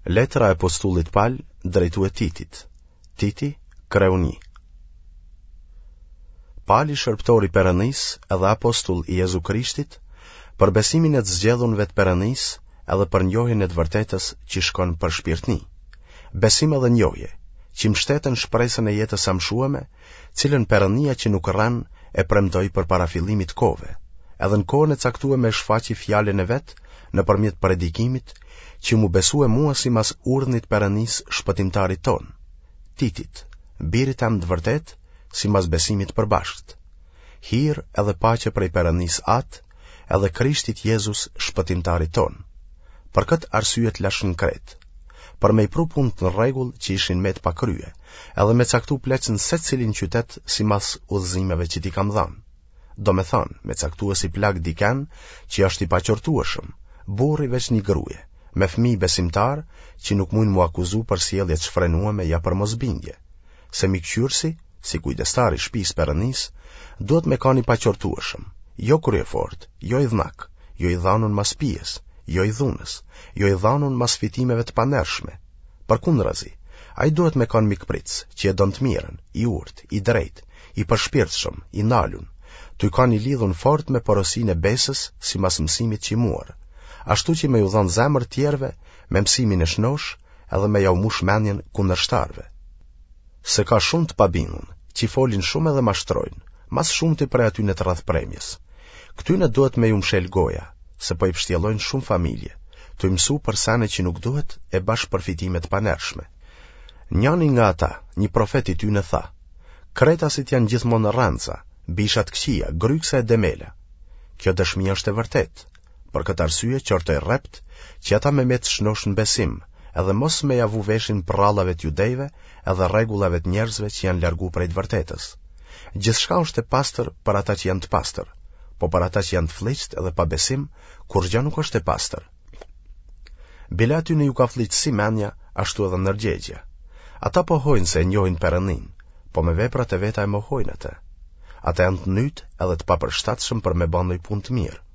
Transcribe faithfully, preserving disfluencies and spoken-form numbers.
Letra e apostullit Pal drejtue Titit. Titi, kreu një. Pali shërbëtor i Perëndisë edhe apostull i Jezu Krishtit, për besimin e të zgjedhunve të Perëndisë edhe për njohjen e të vërtetës që shkon për shpirtni. Besim edhe njohje, që mbështeten n'shpresën e jetës amshueme, cilën Perëndia që nuk rren e premtoi përpara fillimit kohëve, edhe në kohën e caktueme e shfaqi fjalën e vet nëpërmjet predikimit që m'u besue mua simas urdhnit Perëndisë shpëtimtarit tonë, Titit, birit tem të vërtetë, simas besimit përbashkët. Hir edhe paqe prej Perëndisë Atë, edhe Krishtit Jezus shpëtimtarit tonë. Për këtë arsye të lashë në Kretë, për me i pru punët në rregull që ishin met pa krye, edhe me caktu pleq në secilin qytet simas udhëzimeve që t'i kam dhanë. Domethanë, me caktue si plak diken që është i paqortueshëm, burrë i veç një gruje, me fëmijë besimtarë që nuk mujnë m'u akuzu për sjellje të shfrenueme ja për mosbindje. Se mbikëqyrësi, si kujdestar i shpisë Perëndisë, duhet me kanë i paqortueshëm, jo kryefortë, jo idhnak, jo i dhanun mas pijes, jo i dhunës, jo i dhanun mas fitimeve të pandershme. Përkundrazi, ai duhet me kanë mikpritës, që e don të mirën, i urtë, i drejtë, i përshpirtshëm, i nalun, tuj kanë i lidhun fort me porosinë e besës simas mësimit që muar, ashtu që me ju dhanë zemër tjerëve me mësimin e shnoshë edhe me jau mush mendjen kundërshtarëve. Se ka shumë të pabindun, që folin shumë edhe mashtrojnë, ma së shumti prej atyne të rrathëpremjes. Këtyne duhet me ju mshel goja, se po i pshtjellojnë shumë familje, tuj mësu për sene që nuk duhet e bash për fitime të panershme. Njani nga ata, një profet i tyne tha, Kretasit janë gjithmonë rrenca, bisha të këqija, grykësa e dembela. Kjo dëshmi është e vërtetë. Për këtë arsye qortoj rreptë që ata me met shnosh në besim, edhe mos me ja vu veshin prrallave të judejve edhe rregullave të njerëzve që janë largu prej të vërtetës. Gjithçka është e pastër për ata që janë të pastër, po për ata që janë të flliqtë edhe pa besim, kurrgjë nuk është e pastër. Bile atyne ju ka flliqë si mendja, ashtu edhe ndërgjegjja. Ata pohojnë se e njohin Perëndinë, po me veprat e veta e mohojnë atë. Ata janë të nytë edhe të papërshtatshëm për me ba ndonjë punë të mirë.